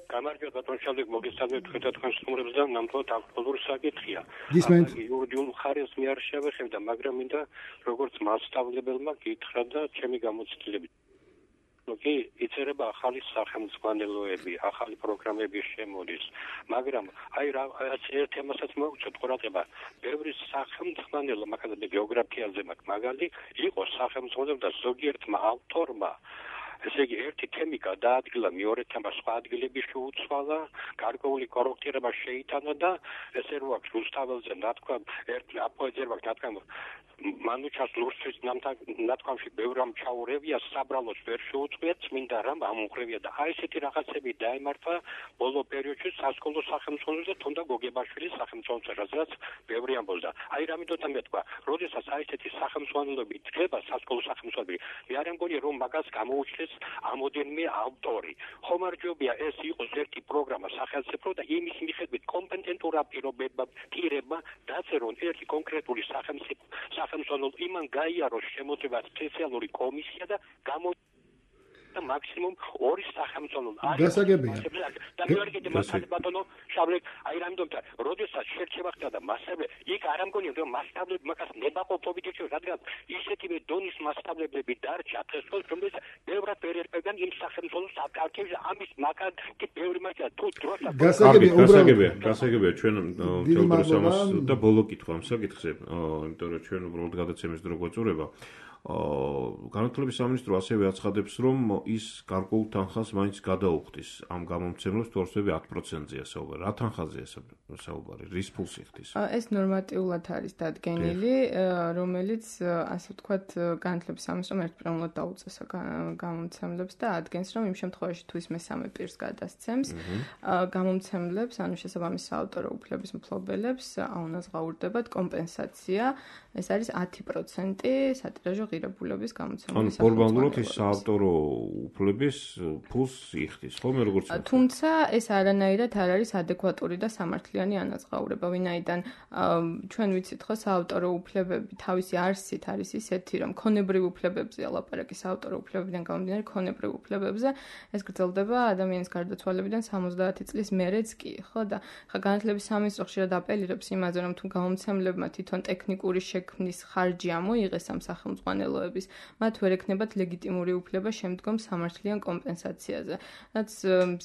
გამარჯობა ბატონ შალიკ, მოგესალმებით თქვენთან თქვენ სტუმრებს და ნამდვილად აქტუალური საკითხია.
გისმენთ.
იურიდიულ მხარეს მე არ შევეხებდა, მაგრამ მინდა როგორც მასშტაბლებელმა გითხრა და ჩემი გამოცდილებით. კი, იწერება ახალი სახელმძღვანელოები, ახალი პროგრამები შემოდის, მაგრამ აი რა ერთ თემასაც მოვუწევთ ყურადღება, ბევრი სახელმძღვანელო, მაგალითად გეოგრაფიაზე მაგ მაგალი, იყო სახელმძღვანელო და ზოგიერთმა ავტორმა ესე იგი ერთი თემი გადაადგილა მეორე თემას სხვა ადგილებში შეუცვალა, გარკვეული კორექტირება შეიტანა და ესე რო აქვს რუსთაველზე ნათქვა ერთ აპოეძერვა ნათქვა მანუჩას ლურსის ნათქვამში ბევრ რამ ჩაურევია, საბრალოს ვერ შეუწყვია, წმინდა რამ ამუღრევია და აი ესეთი რაღაცები დაემართა ბოლო პერიოდში სასკოლო სახელმძღვანელოზე და თუნდა გოგებაშვილის სახელმძღვანელოზე, რაც ბევრი ამბობდა. აი რამითო მეთქვა, როდესაც აი ესეთი სახელმძღვანელოები დგება სასკოლო სახელმძღვანელოები, მე არ მგონია რომ მაგას გამოუჩნდეს ამოდენმე ავტორი. ხომარჯობია ეს იყოს ერთი პროგრამა სახელმწიფო და იმის მიხედვით კომპეტენტურა პირობებმა პირებმა დაწერონ ერთი კონკრეტული სახელმწიფო სახელმწიფო იმან გაიაროს შემოწმება სპეციალური კომისია და გამო და მაქსიმუმ ორი სახელმწიფო
გასაგებია.
და მე არ კიდე მასალე ბატონო შავლე აი რამდომთან როდესაც შერჩევა ხდება და მასალე იქ არ ამგონია რომ მასშტაბები მაგას ნებაყოფობით ეჩვევა, რადგან ისეთივე დონის მასშტაბები დარჩა დღესდღეობით, რომელიც ბევრად ვერ ერკვევიან იმ სახელმწიფოს საკითხებს, ამის მაგალითი ბევრი მაგალითი თუ დროსაც
გასაგებია,
გასაგებია, გასაგებია ჩვენ თეოდოროს ამას და ბოლო კითხვა ამ საკითხზე, იმიტომ რომ ჩვენ უბრალოდ გადაცემის დრო გვეწურება. განათლების სამინისტრო ასევე აცხადებს, რომ ის გარკვეულ თანხას მაინც გადაუხდის ამ გამომცემლებს, თუ არსები ათ პროცენტზეა საუბარი. რა თანხაზეა საუბარი? რის ფულს იხდის?
ეს ნორმატიულად არის დადგენილი, რომელიც ასე ვთქვათ, განათლების სამინისტრომ ერთპიროვნულად დაუწესა გამომცემლებს და ადგენს, რომ იმ შემთხვევაში თუ ის მესამე პირს გადასცემს, გამომცემლებს, ანუ შესაბამის საავტორო უფლების მფლობელებს, აუნაზღაურდებათ კომპენსაცია. ეს არის ათი პროცენტი სატირაჟო ღირებულების გამოცემული სახელმწიფო.
ანუ ფორმალურად ის საავტორო უფლების ფულს იხდის, ხოლმე როგორც
თუმცა ეს არანაირად არ არის ადეკვატური და სამართლიანი ანაზღაურება, ვინაიდან ჩვენ ვიცით ხო საავტორო უფლებები თავისი არსით არის ისეთი, რომ ქონებრივ უფლებებზე ალაპარაკი საავტორო უფლებებიდან გამომდინარე ქონებრივ უფლებებზე ეს გრძელდება ადამიანის გარდაცვალებიდან სამოცდაათი წლის მერეც კი, ხო და ხა განათლების სამინისტრო ხშირად აპელირებს იმაზე, რომ თუ გამომცემლებმა თვითონ ტექნიკური შექმნის ხარჯი ამოიღეს ამ სახელმძღვანელოების, მათ ვერ ექნებათ ლეგიტიმური უფლება შემდგომ სამართლიან კომპენსაციაზე. რაც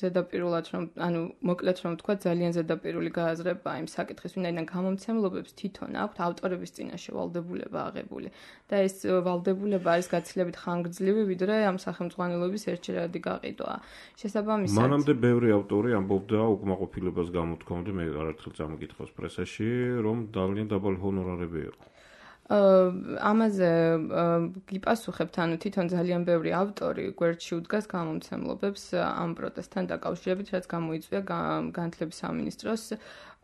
ზედაპირულად რომ ანუ მოკლედ რომ ვთქვა ძალიან ზედაპირული გააზრება იმ საკითხის, ვინაიდან გამომცემლობებს თვითონ აქვთ ავტორების წინაშე ვალდებულება აღებული და ეს ვალდებულება არის გაცილებით ხანგრძლივი, ვიდრე ამ სახელმძღვანელოების ერთჯერადი გაყიდვა. შესაბამისად,
მანამდე ბევრი ავტორი ამბობდა უკმაყოფილებას გამოთქვამდა, მე არაერთხელ წამოგითხავს პრესაში, რომ ძალიან დაბალი ჰონორარები იყო.
ამაზე გიპასუხებთ, ანუ თვითონ ძალიან ბევრი ავტორი გვერდში უდგას გამომცემლობებს ამ პროტესტთან დაკავშირებით, რაც გამოიწვია განათლების სამინისტროს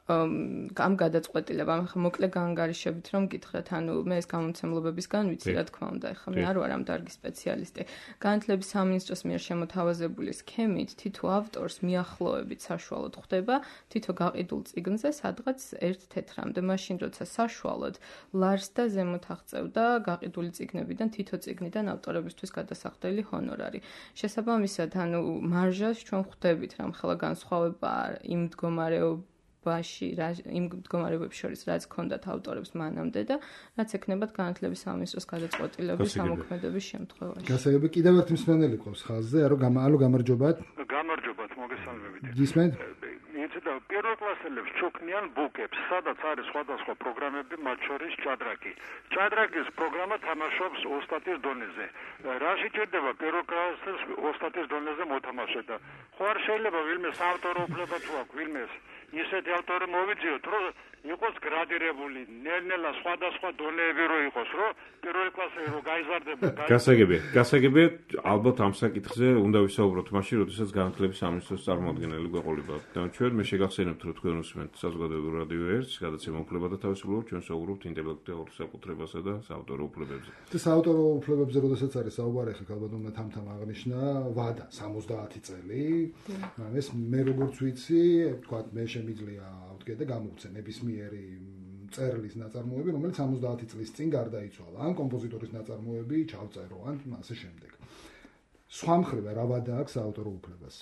ამ გადაწყვეტილებამ. ახლა მოკლე გაანგარიშებით რომ გითხრათ, ანუ მე ეს გამომცემლობებისგან ვიცი, რა თქმა უნდა, ახლა მე არ ვარ ამ დარგის სპეციალისტი. განათლების სამინისტროს მიერ შემოთავაზებული სქემით თითო ავტორს მიახლოებით საშუალოდ ხვდება თითო გაყიდულ წიგნზე სადღაც ერთ თეთრამდე, მაშინ როცა საშუალოდ ლარს და ზემოთ აღწევდა გაყიდული წიგნებიდან თითო წიგნიდან ავტორებისთვის გადასახდელი ჰონორარი. შესაბამისად, ანუ მარჟას ჩვენ ხვდებით რამ ხელა განსხვავება იმ მდგომარეობ ბაში იმ მდგომარეობებს შორის რაც ჰქონდათ ავტორებს მანამდე და რაც ექნებათ განათლების სამინისტროს გადაწყვეტილების ამოქმედების შემთხვევაში.
გასაგები კიდევ ერთი მსმენელი ყავს ხაზზე, არო გამალო გამარჯობათ.
გამარჯობათ, მოგესალმებით.
გისმენთ?
იცით, პირველ კლასელებს ჩუქნიან ბუკებს, სადაც არის სხვადასხვა პროგრამები, მათ შორის ჭადრაკი. ჭადრაკის პროგრამა თამაშობს ოსტატის დონეზე. რა შეჭირდება პირველ კლასელს ოსტატის დონეზე მოთამაშება? ხო არ შეიძლება ვინმე საავტორო უფლება თუ აქვს ვინმეს ისეთი ავტორი მოვიძიოთ, რომ იყოს გრადირებული, ნელ-ნელა სხვადასხვა დონეები რო იყოს, რომ პირველი კლასი რო გაიზარდება.
გასაგებია, გასაგებია, ალბათ ამ საკითხზე უნდა ვისაუბროთ მაშინ, როდესაც განათლების სამინისტროს წარმომადგენელი გვეყოლება. და ჩვენ მე შეგახსენებთ, რომ თქვენ უსმენთ საზოგადოებრივ რადიო ერთს, გადაცემა უფლება და თავისუფლება, ჩვენ საუბრობთ ინტელექტუალურ საკუთრებასა და საავტორო უფლებებზე.
და საავტორო უფლებებზე, როდესაც არის საუბარი, ახლა ალბათ უნდა თამთამ აღნიშნა ვადა სამოცდაათი წელი. ეს მე როგორც ვიცი, თქვა მე შემიძლია ავდგე და გამოვცე ნებისმიერი წერლის ნაწარმოები, რომელიც სამოცდაათი წლის წინ გარდაიცვალა. ან კომპოზიტორის ნაწარმოები ჩავწერო, ან ასე შემდეგ. სხვა მხრივ რა ვადა აქვს საავტორო უფლებას?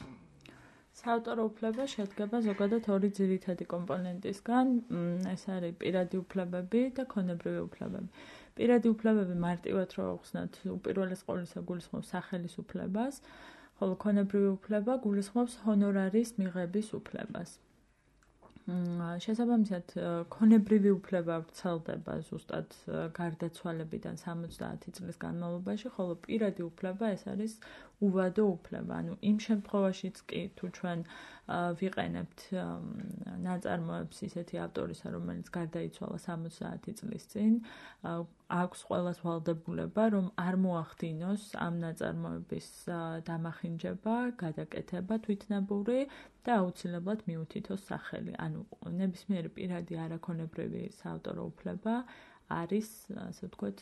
საავტორო უფლება შედგება ზოგადად ორი ძირითადი კომპონენტისგან, ეს არის პირადი უფლებები და ქონებრივი უფლებები. პირადი უფლებები მარტივად რო ახსნათ, უპირველეს ყოვლისა გულისხმობს სახელის უფლებას, ხოლო ქონებრივი უფლება გულისხმობს ჰონორარის მიღების უფლებას. შესაბამისად, ქონებრივი უფლება ვრცელდება ზუსტად გარდაცვალებიდან სამოცდაათი წლის განმავლობაში, ხოლო პირადი უფლება ეს არის უვადო უფლება. ანუ იმ შემთხვევაშიც კი თუ ჩვენ ვიყენებთ ნაწარმოებს ისეთი ავტორისა, რომელიც გარდაიცვალა სამოცდაათი წლის წინ, აქვს ყველას ვალდებულება, რომ არ მოახდინოს ამ ნაწარმოების დამახინჯება, გადაკეთება თვითნებური და აუცილებლად მიუთითოს სახელი. ანუ ნებისმიერი პირადი არაქონებრივი საავტორო უფლება არის, ასე ვთქვათ,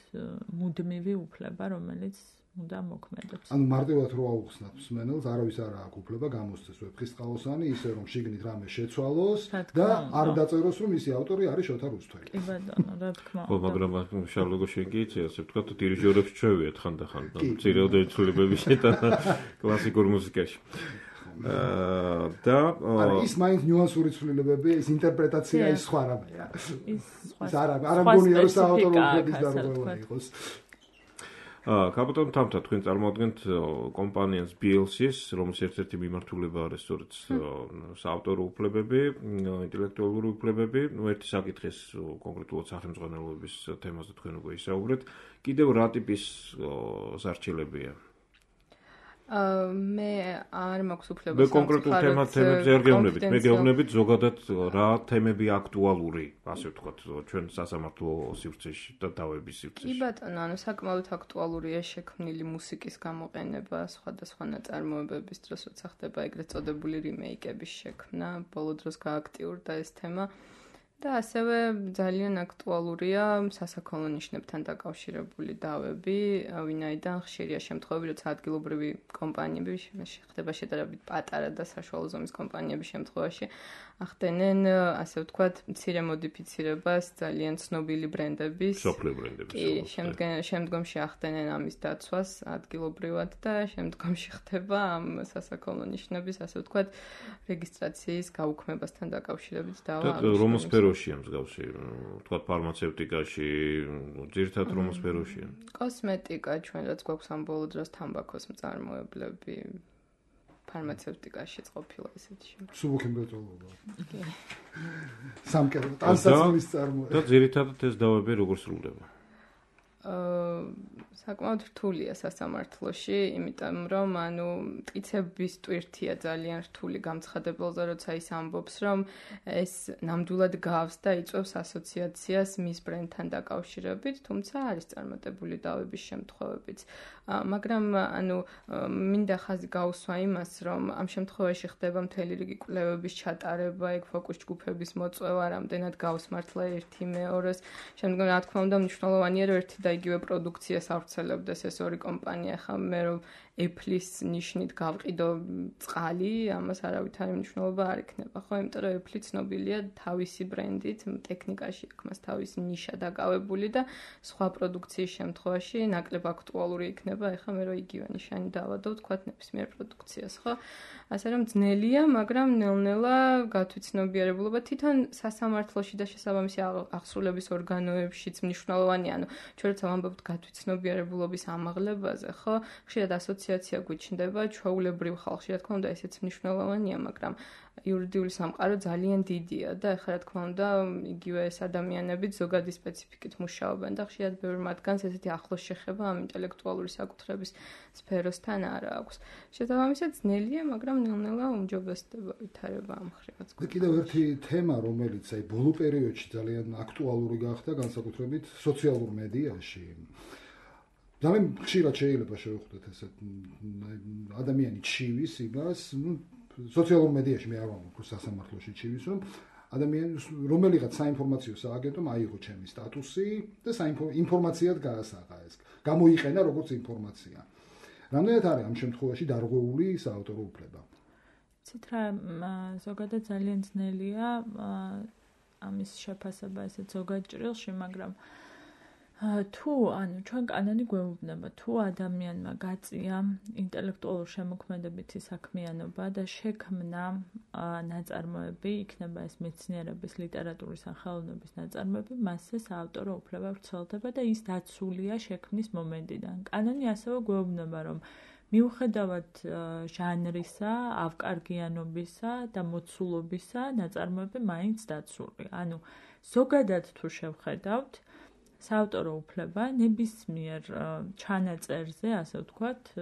მუდმივი უფლება, რომელიც უნდა მოქმედებს.
ანუ მარტივად რო აუხსნათ მსმენელს, არავის არ აქვს უფლება გამოსცეს ვეფხისტყაოსანი, ისე რომ შიგნით რამე შეცვალოს და არ დაწეროს, რომ ისი ავტორი არის შოთა რუსთველი.
კი ბატონო, რა თქმა უნდა.
ხო, მაგრამ შარლოგო შენ კი იცი, ასე ვთქვათ, დირიჟორებს ჩვევიათ ხანდახან, მცირეოდენ ცვლილებების შეტანა კლასიკურ მუსიკაში. და
არა, ის მაინც ნიუანსური ცვლილებები, ის ინტერპრეტაცია ის სხვა რამეა.
ის სხვა.
ის არა, არა მგონია რომ საავტორო უფლების დარღვევა იყოს.
აა, კაპიტან თამთა, თქვენ წარმოადგენთ კომპანიას ბი ელ სი-ს, რომლის ერთ-ერთი მიმართულება არის სწორედ საავტორო უფლებები, ინტელექტუალური უფლებები. ნუ ერთი საკითხის კონკრეტულად სახელმძღვანელოების თემაზე თქვენ უკვე ისაუბრეთ. კიდევ რა ტიპის ზარჩელებია?
აა მე არ მაქვს უფლება
მე კონკრეტულ თემებზე არ გეუბნებით. მე გეუბნებით ზოგადად რა თემები აქტუალური, ასე ვთქვათ, ჩვენ სასამართლო სივრცეში და დავების სივრცეში.
კი ბატონო, ანუ საკმაოდ აქტუალურია შექმნილი მუსიკის გამოყენება სხვადასხვა ნაწარმოებების დროს, როცა ხდება ეგრეთ წოდებული რიმეიკების შექმნა. ბოლო დროს გააქტიურდა ეს თემა. და ასევე ძალიან აქტუალურია სასაქონლო ნიშნებთან დაკავშირებული დავები, ვინაიდან ხშირია შემთხვევები, როცა ადგილობრივი კომპანიები ხდება შედარებით პატარა და საშუალო ზომის კომპანიების შემთხვევაში ახდენენ, ასე ვთქვათ, მცირე მოდიფიცირებას ძალიან ცნობილი ბრენდების.
სოფლიო ბრენდების.
კი, შემდგომში ახდენენ ამის დაცვას ადგილობრივად და შემდგომში ხდება ამ სასაქონლო ნიშნების, ასე ვთქვათ, რეგისტრაციის გაუქმებასთან დაკავშირებით დავა.
და რომელ სფეროშია მსგავსი, ვთქვათ, ფარმაცევტიკაში, ძირითადად რომელ სფეროშია?
კოსმეტიკა, ჩვენ რაც გვაქვს ამ ბოლო დროს თამბაქოს მწარმოებლები. ფარმაცევტიკაშიც ყოფილა ესეთი შემთხვევა.
სუბუქი მრეწველობა. კი. სამკერპო ტანსაცმლის წარმოება.
და ძირითადად ეს დავები როგორ სრულდება?
აა საკმაოდ რთულია სასამართლოში, იმიტომ რომ ანუ მტკიცების ტვირთია ძალიან რთული გამცხადებელზე, როცა ის ამბობს, რომ ეს ნამდვილად გავს და იწვევს ასოციაციას მის ბრენდთან დაკავშირებით, თუმცა არის წარმატებული დავების შემთხვევებიც. მაგრამ ანუ მინდა ხაზი გაუსვა იმას, რომ ამ შემთხვევაში ხდება მთელი რიგი კვლევების ჩატარება, ეგ ფოკუს ჯგუფების მოწვევა, რამდენად გავს მართლა ერთი მეორეს. შემდგომ რა თქმა უნდა მნიშვნელოვანია, რომ ერთი და იგივე პროდუქციას ავრცელებდეს ეს ორი კომპანია, ხა მე რომ Apple-ის ნიშნით გავყიდო წყალი, ამას არავითარი მნიშვნელობა არ იქნება, ხო? იმიტომ რომ Apple ცნობილია თავისი ბრენდით, ტექნიკაში აქვს მას თავისი ნიშა დაკავებული და სხვა პროდუქციის შემთხვევაში ნაკლებ აქტუალური იქნება, ეხლა მე რომ იგივე ნიშანი დავადო, თქვათ ნებისმიერ პროდუქციას, ხო? ასე რომ ძნელია, მაგრამ ნელ-ნელა გათვითცნობიერებულობა თვითონ სასამართლოში და შესაბამისი აღსრულების ორგანოებშიც მნიშვნელოვანია, ანუ ჩვენ როცა ვამბობთ გათვითცნობიერებულობის ამაღლებაზე, ხო? ხშირად ასოციაცია გვიჩნდება, ჩვეულებრივ ხალხში, რა თქმა უნდა, ესეც მნიშვნელოვანია, მაგრამ იურიდიული სამყარო ძალიან დიდია და ეხლა რა თქმა უნდა, იგივე ეს ადამიანები ზოგადი სპეციფიკით მუშაობენ და ხშირად ბევრ მათგანს ესეთი ახლოს შეხება ამ ინტელექტუალური საკუთრების სფეროსთან არ აქვს. შესაბამისად ძნელია, მაგრამ ნელ-ნელა უმჯობესდება ვითარება ამ ხრივაც.
და კიდევ ერთი თემა, რომელიც აი ბოლო პერიოდში ძალიან აქტუალური გახდა, განსაკუთრებით სოციალურ მედიაში. ძალიან ხშირად შეიძლება შევხვდეთ ესეთ ადამიანი ჩივის იმას, ну სოციალურ მედიაში მე არ ვამბობ სასამართლოში ჩივის, რომ ადამიანს რომელიღაც საინფორმაციო სააგენტომ აიღო ჩემი სტატუსი და საინფორმაციად გაასაღა ეს. გამოიყენა როგორც ინფორმაცია. რამდენად არის ამ შემთხვევაში დარღვეული საავტორო უფლება?
ცით რა ზოგადად ძალიან ძნელია ამის შეფასება ესეთ ზოგად ჭრილში, მაგრამ თუ ანუ ჩვენ კანონი გვეუბნება, თუ ადამიანმა გაწია ინტელექტუალურ შემოქმედებითი საქმიანობა და შექმნა ნაწარმოები, იქნება ეს მეცნიერების, ლიტერატურის ან ხელოვნების ნაწარმოები, მასზე საავტორო უფლება ვრცელდება და ის დაცულია შექმნის მომენტიდან. კანონი ასევე გვეუბნება, რომ მიუხედავად ჟანრისა, ავკარგიანობისა და მოცულობისა, ნაწარმოები მაინც დაცულია. ანუ ზოგადად თუ შევხედავთ, საავტორო უფლება ნებისმიერ ჩანაწერზე, ასე ვთქვათ,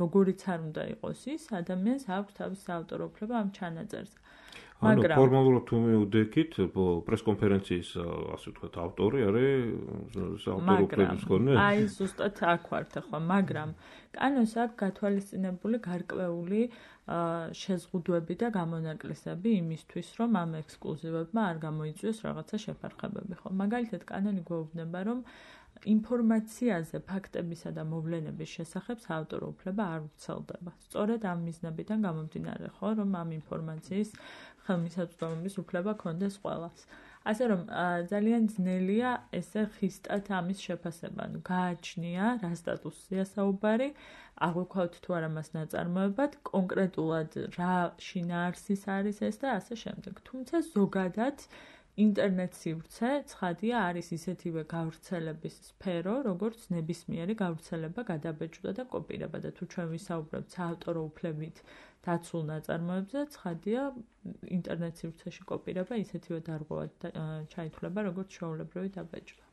როგორიც არ უნდა იყოს ის, ადამიანს აქვს თავისი საავტორო უფლება ამ ჩანაწერზე.
მაგრამ ფორმალურად თუ მივდექით, პრესკონფერენციის, ასე ვთქვათ, ავტორი არის საავტორო უფლების მქონე.
აი, ზუსტად აქ ვართ ახლა, მაგრამ კანონს აქვს გათვალისწინებული გარკვეული შეზღუდვები და გამონაკლისები იმისთვის, რომ ამ ექსკლუზივებმა არ გამოიწვიოს რაღაცა შეფარხებები, ხო? მაგალითად, კანონი გვეუბნება, რომ ინფორმაციაზე ფაქტებისა და მოვლენების შესახებ საავტორო უფლება არ ვრცელდება. სწორედ ამ მიზნებიდან გამომდინარე, ხო, რომ ამ ინფორმაციის ხელმისაწვდომობის უფლება ქონდეს ყველას. ასე რომ ძალიან ძნელია ესე ხისტად ამის შეფასება. ანუ გააჩნია რა სტატუსია საუბარი, აღვქვათ თუ არა მას ნაწარმოებად, კონკრეტულად რა შინაარსის არის ეს და ასე შემდეგ. თუმცა ზოგადად ინტერნეტ სივრცე ცხადია არის ისეთივე გავრცელების სფერო, როგორც ნებისმიერი გავრცელება, გადაბეჭდა და კოპირება და თუ ჩვენ ვისაუბრებთ საავტორო უფლებით დაცულ ნაწარმოებზე, ცხადია ინტერნეტ სივრცეში კოპირება ისეთივე დარღვევად ჩაითვლება, როგორც ჩვეულებრივი დაბეჭდა.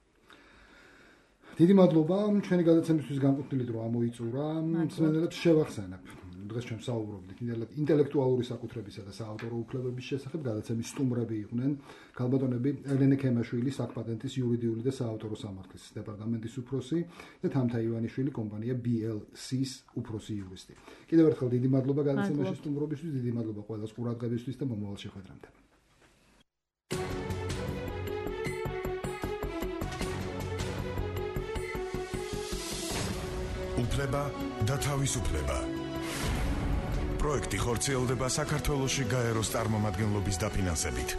დიდი მადლობა, ჩვენი გადაცემისთვის განკუთვნილი დრო ამოიწურა. მსმენელებს შევახსენებ. დღეს ჩვენ საუბრობდით ინტელექტუალური საკუთრებისა და საავტორო უფლებების შესახებ. გადაცემის სტუმრები იყვნენ ქალბატონები ელენე ქემაშვილი, საკპატენტის იურიდიული და საავტორო სამართლის დეპარტამენტის უფროსი და თამთა ივანიშვილი, კომპანია ბი ელ სი-ის უფროსი იურისტი. კიდევ ერთხელ დიდი მადლობა გადაცემაში სტუმრობისთვის, დიდი მადლობა ყველას ყურადღებისთვის და მომავალ შეხვედრამდე.
უფლება და თავისუფლება. პროექტი ხორციელდება საქართველოში გაეროს წარმომადგენლობის დაფინანსებით.